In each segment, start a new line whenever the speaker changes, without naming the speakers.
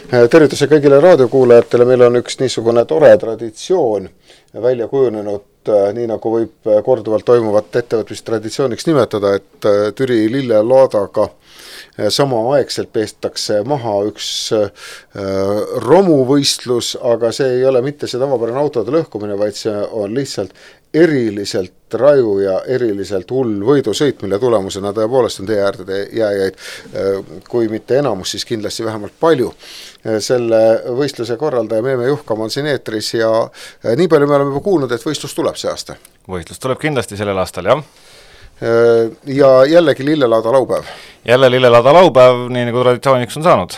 Tervituse kõigile raadiokuulajatele, meil on üks niisugune tore traditsioon välja kujunenud, nii nagu võib korduvalt toimuvat ettevõtmistraditsiooniks nimetada, et Türi lillelaadaga samaaegselt peestakse maha üks romuvõistlus, aga see ei ole mitte see tavapärane autode lõhkumine, vaid see on lihtsalt eriliselt raju ja eriliselt hull võidusõit, mille tulemusena tõepoolest on tee äärde jääjaid, kui mitte enamus, siis kindlasti vähemalt palju. Selle võistluse korraldaja Meeme Juhkam on siin eetris ja nii palju me oleme juba kuulnud, et võistlus tuleb see aasta.
Võistlus tuleb kindlasti sellel aastal, jah.
Ja jällegi lillelaada laupäev.
Jälle lillelaada laupäev, nii nagu traditsiooniks on saanud.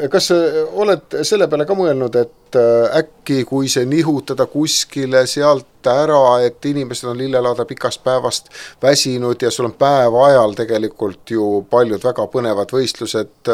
Kas oled selle peale ka mõelnud, et äkki kui see nihutada kuskile sealt ära, et inimesed on lillelaada pikast päevast väsinud ja sul on päeva ajal tegelikult ju paljud väga põnevad võistlused,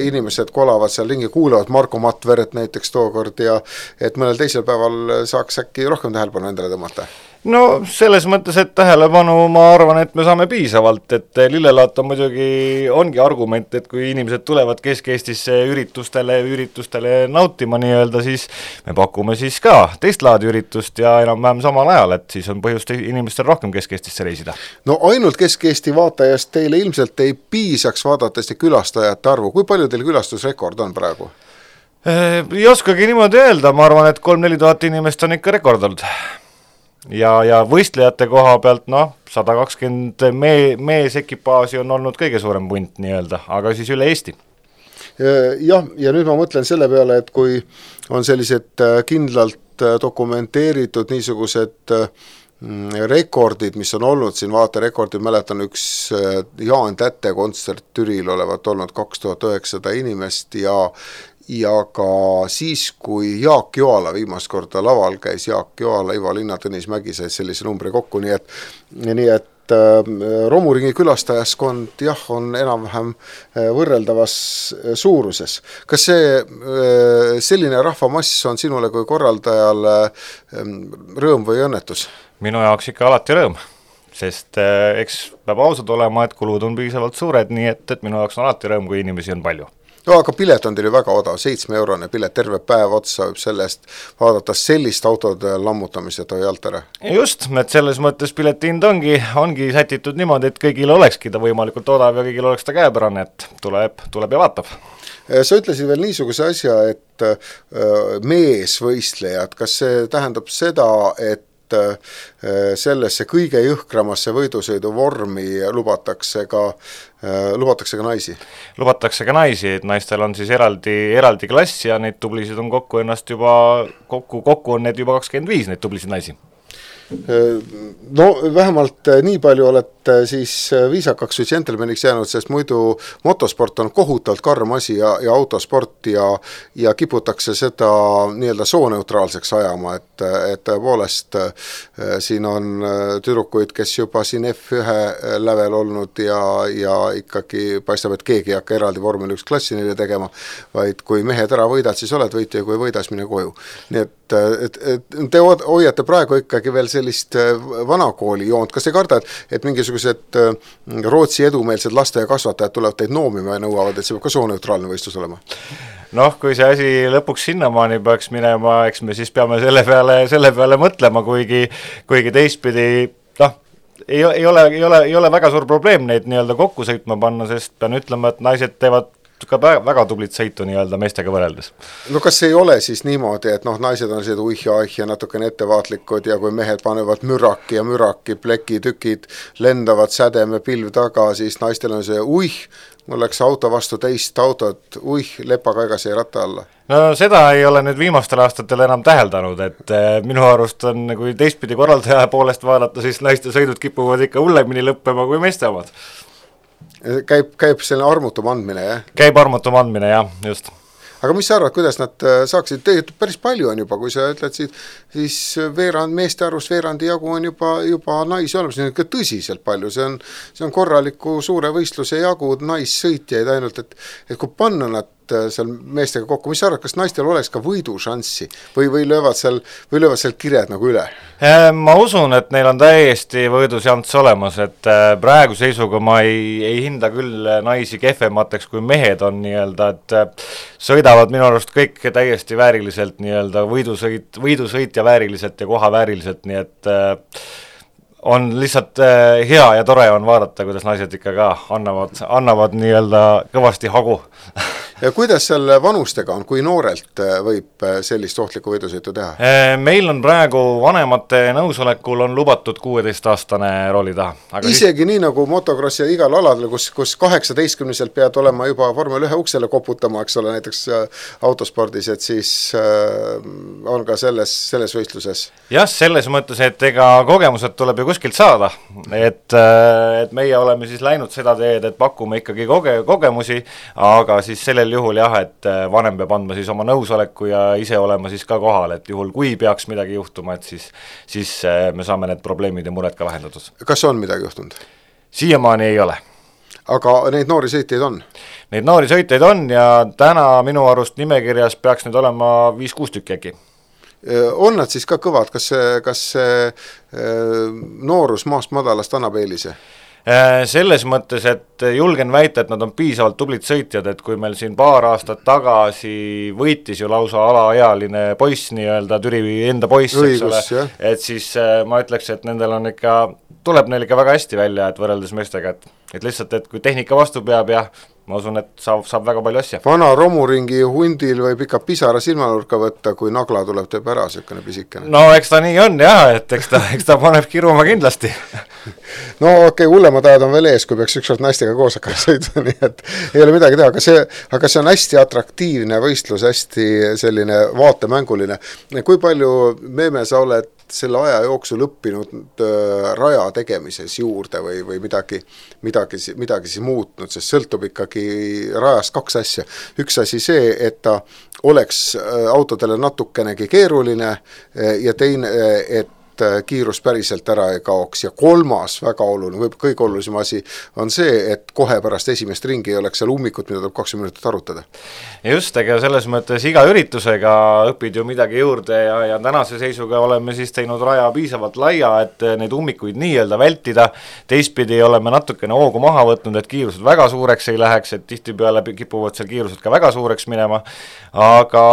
inimesed kolavad seal ringi, kuulavad Marko Matveret näiteks tookord ja et mõnel teisel päeval saaks äkki rohkem tähelepanu endale tõmmata?
No selles mõttes, et tähelepanu ma arvan, et me saame piisavalt, et lillelaat on muidugi ongi argument, et kui inimesed tulevad Kesk-Eestisse üritustele nautima nii-öelda, siis me pakume siis ka teist laadi üritust ja enam-vähem samal ajal, et siis on põhjust inimestel rohkem Kesk-Eestisse reisida. No
ainult Kesk-Eesti vaatajast teile ilmselt ei piisaks vaadates külastajate arvu. Kui palju teil külastusrekord on praegu?
Ei oskagi niimoodi öelda, ma arvan, et 3-4 tuhat inimest on ikka rekord olnud. Ja võistlejate koha pealt, 120 meesekipaaži on olnud kõige suurem punt nii-öelda, aga siis üle Eesti.
Jah, ja nüüd ma mõtlen selle peale, et kui on sellised kindlalt dokumenteeritud niisugused rekordid, mis on olnud siin vaaterekordid, mäletan üks Jaan Tätte kontsert Türil olevat olnud 2900 inimest ja ka siis, kui Jaak Joala viimast korda laval käis, Jaak Joala, Ivo Linna, Tõnis Mägi said sellise numbri kokku, nii et romuringi külastajaskond on enam-vähem võrreldavas suuruses. Kas see selline rahvamass on sinule kui korraldajale rõõm või õnnetus?
Minu jaoks ikka alati rõõm, sest eks peab ausad olema, et kulud on piisavalt suured, nii et minu jaoks on alati rõõm, kui inimesi on palju.
No, aga pilet on teil ju väga odav, 7-eurone pilet, terve päev otsa võib sellest vaadata sellist autode lammutamist ja jallt ära.
Just, et selles mõttes piletihind ongi sätitud niimoodi, et kõigil olekski ta võimalikult odav ja kõigil oleks ta käepärane, et tuleb ja vaatab.
Sa ütlesid veel niisuguse asja, et meesvõistlejad, kas see tähendab seda, et sellesse kõige jõhkramasse võidusõidu vormi lubatakse ka naisi? Lubatakse ka
naisi, et naistel on siis eraldi klass ja neid tublisid on kokku on need juba 25, neid tublisid naisi.
No vähemalt nii palju olete siis viisakaks või džentelmeniks jäänud, sest muidu motosport on kohutavalt karm asi ja autosport ja kiputakse seda nii-öelda sooneutraalseks ajama, et tõepoolest siin on tüdrukuid, kes juba siin F1 lävel olnud ja ikkagi paistab, et keegi ei hakka eraldi vormel 1 klassi neile tegema, vaid kui mehed ära võidad, siis oled võitja ja kui võidas, mine koju. Nii et te hoiate praegu ikkagi veel sellist vanakooli joont. Kas te karda, et mingisugused Rootsi edumeelsed laste ja kasvatajad tulevad teid noomima ja nõuavad, et see peab ka sooneutraalne võistlus olema?
Kui see asi lõpuks sinnamaani peaks minema, eks me siis peame selle peale mõtlema, kuigi teistpidi ei ole väga suur probleem neid nii-öelda kokku sõitma panna, sest pean ütlema, et naised teevad ka väga tublit sõitu nii-öelda meestega võreldes.
No kas ei ole siis niimoodi, et naised on sellised ja natukene ettevaatlikud ja kui mehed panevad müraki, plekitükid lendavad sädeme pilv taga, siis naistel on see mul läks auto vastu teist autot, lepaga ega see ratta alla.
No seda ei ole nüüd viimastel aastatel enam täheldanud, et minu arust on, kui teistpidi korraldaja poolest vaadata, siis naiste sõidud kipuvad ikka hullemini lõppema kui meeste omad.
Käib selline armutum andmine, jah?
Käib armutum andmine, jah, just.
Aga mis sa arvad, kuidas nad saaksid, tegelikult päris palju on juba, kui sa ütled, siis meeste arvust veerandi jagu on juba naisi olemas, see on ikka tõsiselt palju, see on korraliku suure võistluse jagu naissõitjaid ainult, et kui panna nad seal meestega kokku, mis sa arvad, kas naistel oleks ka võidušanssi või löövad seal kired nagu üle?
Ma usun, et neil on täiesti võidušanss olemas, et praegu seisuga ma ei hinda küll naisi kehvemateks kui mehed on nii-öelda, et sõidavad minu arust kõik täiesti vääriliselt nii-öelda võidusõit ja vääriliselt ja koha vääriliselt, nii et on lihtsalt hea ja tore on vaadata, kuidas naised ikka ka annavad nii-öelda kõvasti hagu.
Ja kuidas seal vanustega on, kui noorelt võib sellist ohtlikku võidusõitu teha?
Meil on praegu vanemate nõusolekul on lubatud 16-aastane rooli taha. Aga
isegi nii nagu motocrossi ja igal aladel, kus 18-selt pead olema juba Formel 1 uksele koputama, eks ole, näiteks autospordis, et siis on ka selles võistluses?
Jah, selles mõttes, et ega kogemused tuleb ju kuskilt saada, et meie oleme siis läinud seda teed, et pakume ikkagi kogemusi, aga siis sellel juhul jah, et vanem peab andma siis oma nõusoleku ja ise olema siis ka kohal, et juhul kui peaks midagi juhtuma, et siis me saame need probleemid ja mured ka lahendatud.
Kas on midagi juhtunud?
Siiamaani ei ole.
Aga neid noori sõitjaid on?
Neid noori sõitjaid on ja täna minu arust nimekirjas peaks nüüd olema 5-6 tükki äkki.
On nad siis ka kõvad, kas see noorus maast madalast annab eelise?
Selles mõttes, et julgen väita, et nad on piisavalt tublid sõitjad, et kui meil siin paar aastat tagasi võitis ju lausa alaealine poiss nii-öelda, Türi enda poiss, eks ole, et siis ma ütleks, et tuleb neil ikka väga hästi välja, et võrreldes meestega, et lihtsalt, et kui tehnika vastu peab ja ma usun, et saab väga palju asja.
Vana romuringi hundil võib ikka pisara silmanurka võtta, kui nagla tuleb teeb ära, selline pisikene.
No eks ta nii on jah, et eks ta paneb kiruma kindlasti.
No okei, hullemad ajad on veel ees, kui peaks ükskord naistega koos hakkama sõidu, nii et ei ole midagi teha, aga see on hästi atraktiivne võistlus, hästi selline vaatemänguline. Kui palju, Meeme, sa oled selle aja jooksul õppinud raja tegemises juurde või midagi siis muutnud, sest sõltub ikkagi rajast 2 asja. Üks asi see, et ta oleks autodele natukenegi keeruline ja teine, et kiirus päriselt ära ei kaoks ja kolmas väga oluline, võib kõige olulisem asi on see, et kohe pärast esimest ringi ei oleks seal ummikut, mida tuleb 20 minutit arutada.
Just, ega selles mõttes iga üritusega õpid ju midagi juurde ja tänase seisuga oleme siis teinud raja piisavalt laia, et neid ummikuid nii-öelda vältida, teistpidi oleme natukene hoogu maha võtnud, et kiirused väga suureks ei läheks, et tihtipeale kipuvad seal kiirused ka väga suureks minema, aga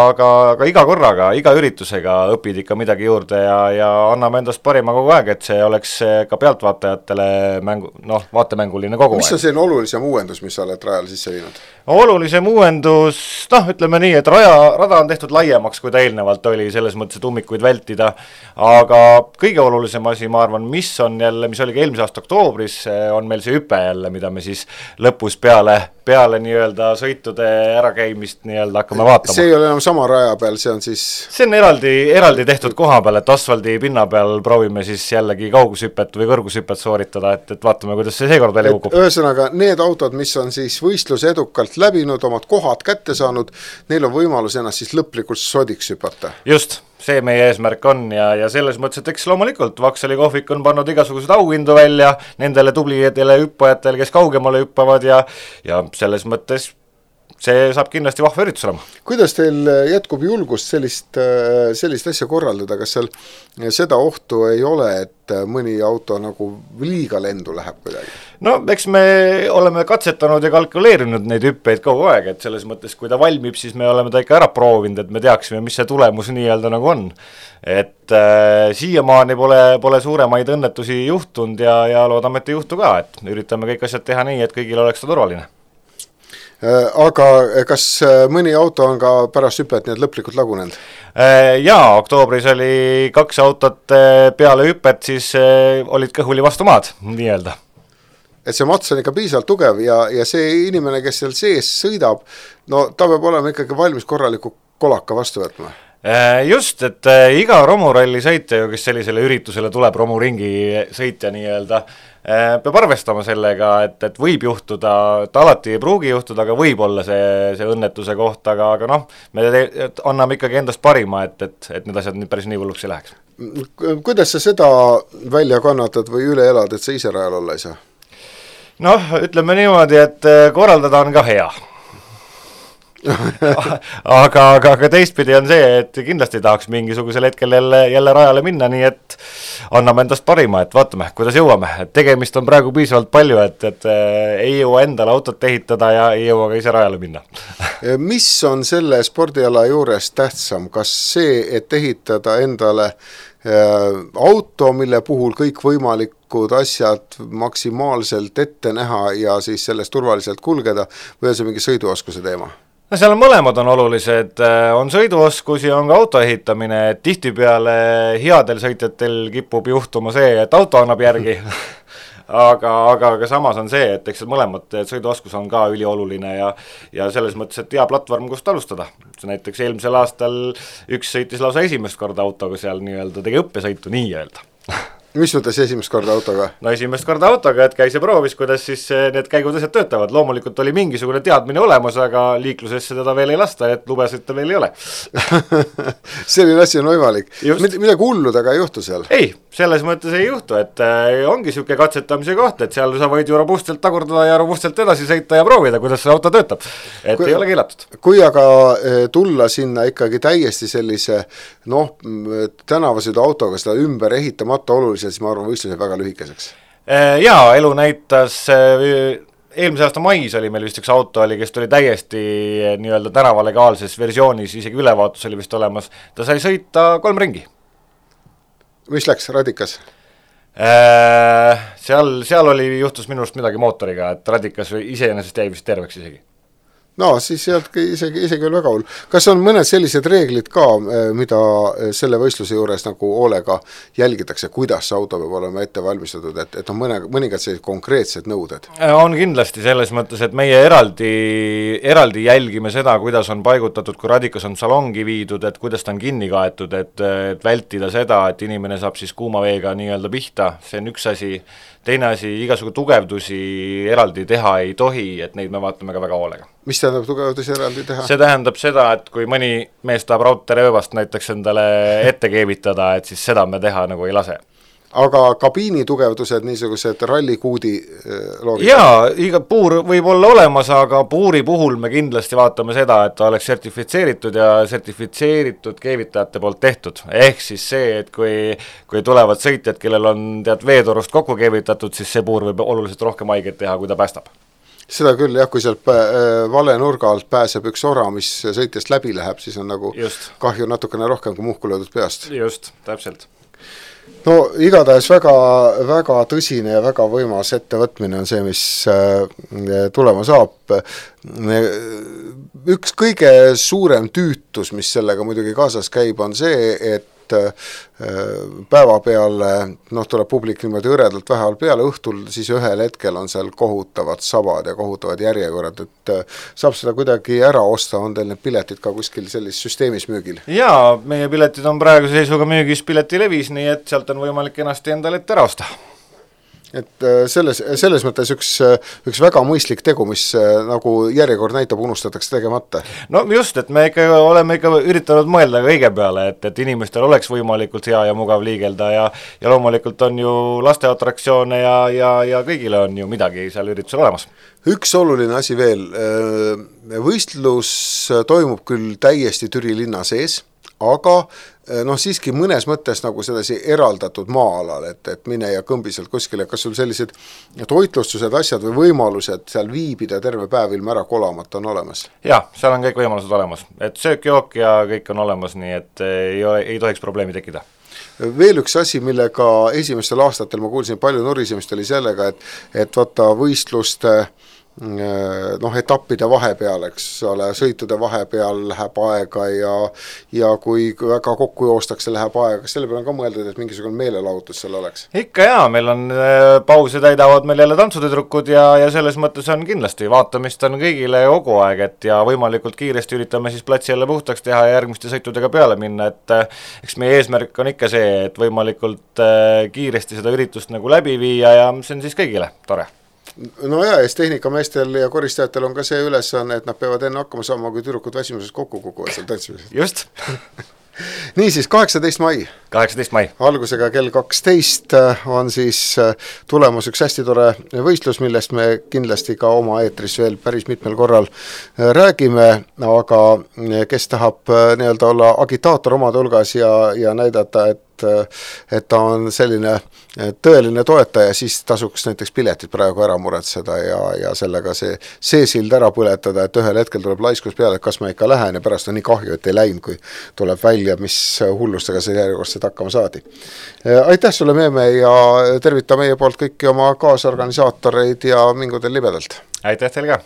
iga korraga, iga üritusega õpid ikka midagi juurde ja anname endast parima kogu aeg, et see oleks ka pealtvaatajatele vaatemänguline kogu aeg.
Mis on selline olulisem uuendus, mis sa oled rajal sisse viinud?
Olulisem uuendus, ütleme nii, et rada on tehtud laiemaks, kui ta eelnevalt oli, selles mõttes, et ummikuid vältida, aga kõige olulisem asi, ma arvan, mis oli ka eelmise aasta oktoobris, on meil see hüpe jälle, mida me siis lõpus peale nii-öelda sõitude ärakäimist nii-öelda hakkame vaatama.
See ei ole enam sama raja peal, see on siis...
See on eraldi tehtud koha peal, et asfaldi pinna peal proovime siis jällegi kaugushüpet või kõrgushüpet sooritada, et vaatame, kuidas see seekord välja kukub.
Ühesõnaga, need autod, mis on siis võistluse edukalt läbinud, omad kohad kätte saanud, neil on võimalus ennast siis lõplikult sodiks hüpata.
Just, see meie eesmärk on ja selles mõttes, et eks loomulikult Vaksali kohvik on pannud igasuguseid auhindu välja nendele tublidele hüppajatele, kes kaugemale hüppavad ja selles mõttes see saab kindlasti vahva üritus olema. Kuidas
teil jätkub julgust sellist asja korraldada, kas seal seda ohtu ei ole, et mõni auto nagu liiga lendu läheb kuidagi? No
eks me oleme katsetanud ja kalkuleerinud neid hüppeid kogu aeg, et selles mõttes, kui ta valmib, siis me oleme ta ikka ära proovinud, et me teaksime, mis see tulemus nii-öelda nagu on. Et siiamaani pole suuremaid õnnetusi juhtunud ja loodame, et ei juhtu ka, et üritame kõik asjad teha nii, et kõigil oleks ta turvaline.
Aga kas mõni auto on ka pärast hüpet nii lõplikult lagunenud?
Jaa, oktoobris oli 2 autot peale hüpet, siis olid kõhuli vastu maad, nii-öelda.
Et see mats on ikka piisavalt tugev ja see inimene, kes seal sees sõidab, no ta peab olema ikkagi valmis korraliku kolaka vastu võtma.
Just, et iga romuralli sõitja, kes sellisele üritusele tuleb, romuringi sõitja nii-öelda, peab arvestama sellega, et võib juhtuda, et alati ei pruugi juhtuda, aga võib olla see õnnetuse koht, aga me anname ikkagi endast parima, et need asjad päris nii hulluks ei läheks.
Kuidas sa seda välja kannatad või üle elad, et sa ise rajal olla ei saa?
Ütleme niimoodi, et korraldada on ka hea. aga teistpidi on see, et kindlasti tahaks mingisugusel hetkel jälle rajale minna, nii et anname endast parima, et vaatame, kuidas jõuame, et tegemist on praegu piisavalt palju, et ei jõua endale autot ehitada ja ei jõua ka ise rajale minna.
Mis on selle spordiala juures tähtsam, kas see, et ehitada endale auto, mille puhul kõik võimalikud asjad maksimaalselt ette näha ja siis sellest turvaliselt kulgeda, või on see mingi sõiduoskuse teema?
No seal mõlemad on olulised, on sõiduoskus ja on ka auto ehitamine, et tihtipeale headel sõitjatel kipub juhtuma see, et auto annab järgi, aga samas on see, et eks mõlemad sõiduoskus on ka ülioluline ja selles mõttes, et hea platvorm, kust alustada. Näiteks eelmisel aastal üks sõitis lausa esimest korda autoga seal nii-öelda, tegi õppesõitu nii-öelda.
Mis mõttes esimest korda autoga?
No esimest korda autoga, et käis ja proovis, kuidas siis need käigud asjad töötavad. Loomulikult oli mingisugune teadmine olemas, aga liiklusesse teda veel ei lasta, et lubesid ta veel ei ole.
Selline asi on võimalik. Midagi hullu taga ei juhtu seal?
Ei, selles mõttes ei juhtu, et ongi siuke katsetamise koht, et seal sa võid ju robustselt tagurdada ja robustselt edasi sõita ja proovida, kuidas see auto töötab. Et ei ole keelatud.
Kui aga tulla sinna ikkagi täiesti sellise tänavasõidu autoga seda ümber ehitamata oluliselt, siis ma arvan, võistluse väga lühikeseks.
Jaa, elu näitas, eelmise aasta mais oli meil vist üks auto oli, kes tuli täiesti nii-öelda tänavalegaalses versioonis, isegi ülevaatus oli vist olemas, ta sai sõita 3 ringi.
Mis läks, radikas?
Seal oli, juhtus minust midagi mootoriga, et radikas iseenesest jäi vist terveks isegi.
No siis sealtki isegi veel väga hull. Kas on mõned sellised reeglid ka, mida selle võistluse juures nagu hoolega jälgitakse, kuidas see auto peab olema ette valmistatud, et on mõningad sellised konkreetsed nõuded?
On kindlasti selles mõttes, et meie eraldi jälgime seda, kuidas on paigutatud, kui radikas on salongi viidud, et kuidas ta on kinni kaetud, et vältida seda, et inimene saab siis kuuma veega nii-öelda pihta, see on üks asi. Teine asi, igasugu tugevdusi eraldi teha ei tohi, et neid me vaatame ka väga hoolega.
Mis tähendab tugevdusi eraldi teha?
See tähendab seda, et kui mõni mees tahab raudteerööbast näiteks endale ette keevitada, et siis seda me teha nagu ei lase.
Aga kabiini tugevdused, niisugused rallikuudi loogika?
Jaa, iga puur võib olla olemas, aga puuri puhul me kindlasti vaatame seda, et ta oleks sertifitseeritud ja sertifitseeritud keevitajate poolt tehtud. Ehk siis see, et kui tulevad sõitjad, kellel on veetorust kokku keevitatud, siis see puur võib oluliselt rohkem haiget teha, kui ta päästab.
Seda küll, jah, kui sealt vale nurga alt pääseb üks ora, mis sõitjast läbi läheb, siis on nagu kahju natukene rohkem kui muhku löödud peast.
Just, täpselt.
No igatahes väga, väga tõsine ja väga võimas ettevõtmine on see, mis tulema saab. Üks kõige suurem tüütus, mis sellega muidugi kaasas käib, on see, et päeva peale, tuleb publik niimoodi õredalt vähe peale, õhtul siis ühel hetkel on seal kohutavad sabad ja kohutavad järjekorrad, et saab seda kuidagi ära osta, on teil need piletid ka kuskil sellises süsteemis müügil?
Jaa, meie piletid on praeguse seisuga müügis Piletilevis, nii et sealt on võimalik ennast endale ette ära osta.
Et selles mõttes üks väga mõistlik tegu, mis nagu järjekord näitab, unustatakse tegemata.
No just, et me oleme üritanud mõelda kõige peale, et inimestel oleks võimalikult hea ja mugav liigelda ja loomulikult on ju lasteatraktsioone ja kõigile on ju midagi seal üritusel olemas.
Üks oluline asi veel, võistlus toimub küll täiesti Türi linna sees, aga siiski mõnes mõttes nagu sedasi eraldatud maa-alal, et mine ja kõmbi sealt kuskile, kas sul sellised toitlustused, asjad või võimalused seal viibida terve päev ilma ära kolamata on olemas?
Jah, seal on kõik võimalused olemas, et söök, jook ja kõik on olemas, nii et ei tohiks probleemi tekkida.
Veel üks asi, millega esimestel aastatel ma kuulsin palju nurisemist, oli sellega, et vaata võistluste etappide vahepeal, eks ole, sõitude vahepeal läheb aega ja kui väga kokku joostakse, läheb aega, kas selle peale on ka mõeldud, et mingisugune meelelahutus seal oleks?
Ikka jaa, meil on pause täidavad meil jälle tantsutüdrukud ja selles mõttes on kindlasti, vaatamist on kõigile kogu aeg, et ja võimalikult kiiresti üritame siis platsi jälle puhtaks teha ja järgmiste sõitudega peale minna, et eks meie eesmärk on ikka see, et võimalikult kiiresti seda üritust nagu läbi viia ja see on siis kõigile tore.
No ja tehnikameestel ja koristajatel on ka see ülesanne, et nad peavad enne hakkama saama, kui tüdrukud väsimuses kokku kukuvad seal tantsimisest.
Just.
Niisiis, 18 mai.
18 mai.
Algusega kell 12 on siis tulemus üks hästi tore võistlus, millest me kindlasti ka oma eetris veel päris mitmel korral räägime, aga kes tahab nii-öelda olla agitaator omade hulgas ja näidata, et ta on selline tõeline toetaja, siis tasuks näiteks piletid praegu ära muretseda ja sellega see sild ära põletada, et ühel hetkel tuleb laiskus peale, et kas ma ikka lähen ja pärast on nii kahju, et ei läinud, kui tuleb välja, mis hullustega see järjekordselt hakkama saadi. Aitäh sulle, Meeme, ja tervita meie poolt kõiki oma kaasorganisaatoreid ja mingu teil libedalt!
Aitäh teil ka!